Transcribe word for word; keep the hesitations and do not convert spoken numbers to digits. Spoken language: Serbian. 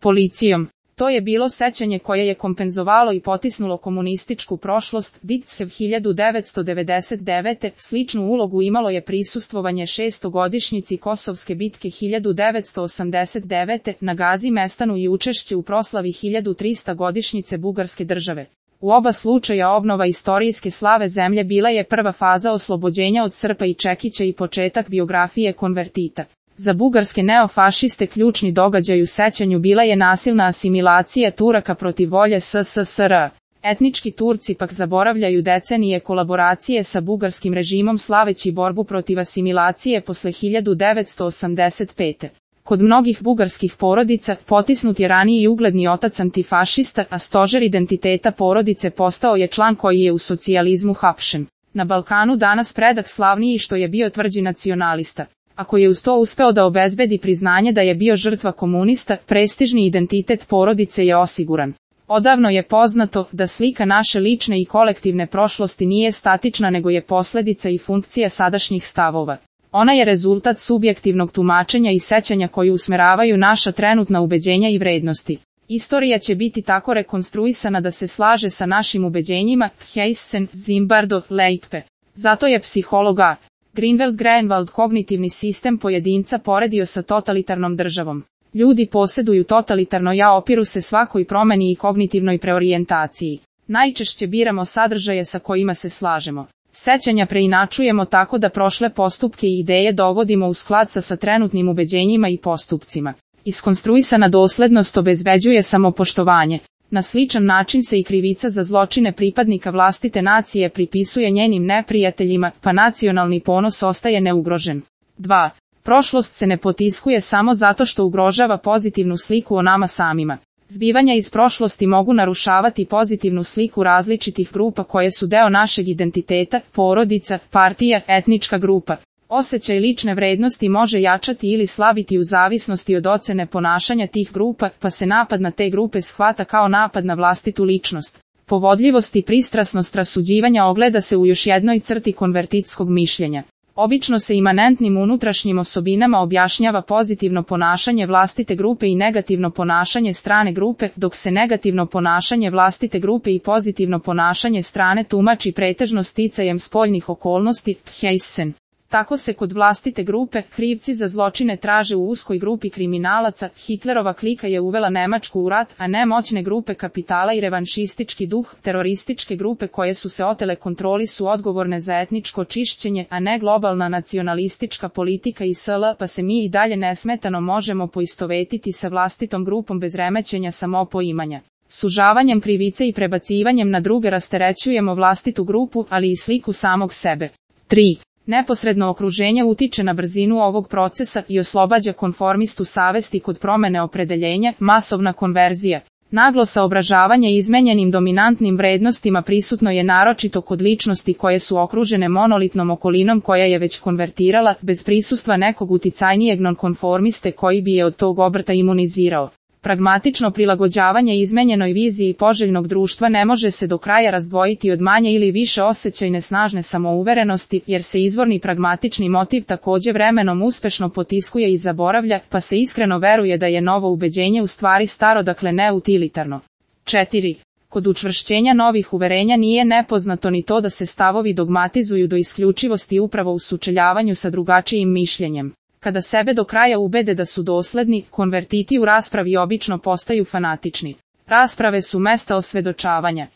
policijom. To je bilo sećanje koje je kompenzovalo i potisnulo komunističku prošlost. Dictfev hiljadu devetsto devedeset devete. Sličnu ulogu imalo je prisustvovanje šestogodišnjici Kosovske bitke hiljadu devetsto osamdeset devete. na Gazi Mestanu i učešće u proslavi hiljadu trista godišnjice Bugarske države. U oba slučaja obnova istorijske slave zemlje bila je prva faza oslobođenja od Srpa i Čekića i početak biografije konvertita. Za bugarske neofašiste ključni događaj u sećanju bila je nasilna asimilacija Turaka protiv volje S S S R. Etnički Turci pak zaboravljaju decenije kolaboracije sa bugarskim režimom slaveći borbu protiv asimilacije posle hiljadu devetsto osamdeset pete. Kod mnogih bugarskih porodica potisnut je raniji ugledni otac antifašista, a stožer identiteta porodice postao je član koji je u socijalizmu hapšen. Na Balkanu danas predak slavniji što je bio tvrđi nacionalista. Ako je uz to uspeo da obezbedi priznanje da je bio žrtva komunista, prestižni identitet porodice je osiguran. Odavno je poznato da slika naše lične i kolektivne prošlosti nije statična nego je posledica i funkcija sadašnjih stavova. Ona je rezultat subjektivnog tumačenja i sećanja koji usmeravaju naša trenutna ubeđenja i vrednosti. Istorija će biti tako rekonstruisana da se slaže sa našim ubeđenjima. Heissen, Zimbardo, Leipe. Zato je psiholog A. Greenwald Greenwald kognitivni sistem pojedinca poredio sa totalitarnom državom. Ljudi posjeduju totalitarno ja, opiru se svakoj promeni i kognitivnoj preorijentaciji. Najčešće biramo sadržaje sa kojima se slažemo. Sećanja preinačujemo tako da prošle postupke i ideje dovodimo u sklad sa, sa trenutnim ubeđenjima i postupcima. Iskonstruisana doslednost obezbeđuje samopoštovanje. Na sličan način se i krivica za zločine pripadnika vlastite nacije pripisuje njenim neprijateljima, pa nacionalni ponos ostaje neugrožen. dva. Prošlost se ne potiskuje samo zato što ugrožava pozitivnu sliku o nama samima. Zbivanja iz prošlosti mogu narušavati pozitivnu sliku različitih grupa koje su deo našeg identiteta, porodica, partija, etnička grupa. Osjećaj lične vrednosti može jačati ili slabiti u zavisnosti od ocene ponašanja tih grupa, pa se napad na te grupe shvata kao napad na vlastitu ličnost. Povodljivost i pristrasnost rasuđivanja ogleda se u još jednoj crti konvertitskog mišljenja. Obično se imanentnim unutrašnjim osobinama objašnjava pozitivno ponašanje vlastite grupe i negativno ponašanje strane grupe, dok se negativno ponašanje vlastite grupe i pozitivno ponašanje strane tumači pretežno sticajem spoljnih okolnosti. Heissen. Tako se kod vlastite grupe krivci za zločine traže u uskoj grupi kriminalaca. Hitlerova klika je uvela Nemačku u rat, a ne moćne grupe kapitala i revanšistički duh. Terorističke grupe koje su se otele kontroli su odgovorne za etničko čišćenje, a ne globalna nacionalistička politika i sl. Pa se mi i dalje nesmetano možemo poistovetiti sa vlastitom grupom bez remećenja samopoimanja. Sužavanjem krivice i prebacivanjem na druge rasterećujemo vlastitu grupu, ali i sliku samog sebe. tri. Neposredno okruženje utiče na brzinu ovog procesa i oslobađa konformistu savesti kod promene opredeljenja. Masovna konverzija. Naglo saobražavanje izmenjenim dominantnim vrednostima prisutno je naročito kod ličnosti koje su okružene monolitnom okolinom koja je već konvertirala, bez prisustva nekog uticajnijeg nonkonformiste koji bi je od tog obrta imunizirao. Pragmatično prilagođavanje izmenjenoj viziji poželjnog društva ne može se do kraja razdvojiti od manje ili više osjećajne snažne samouverenosti, jer se izvorni pragmatični motiv također vremenom uspešno potiskuje i zaboravlja, pa se iskreno veruje da je novo ubeđenje u stvari staro, dakle neutilitarno. četiri. Kod učvršćenja novih uverenja nije nepoznato ni to da se stavovi dogmatizuju do isključivosti upravo u sučeljavanju sa drugačijim mišljenjem. Kada sebe do kraja ubede da su dosledni, konvertiti u raspravi obično postaju fanatični. Rasprave su mesta osvedočavanja.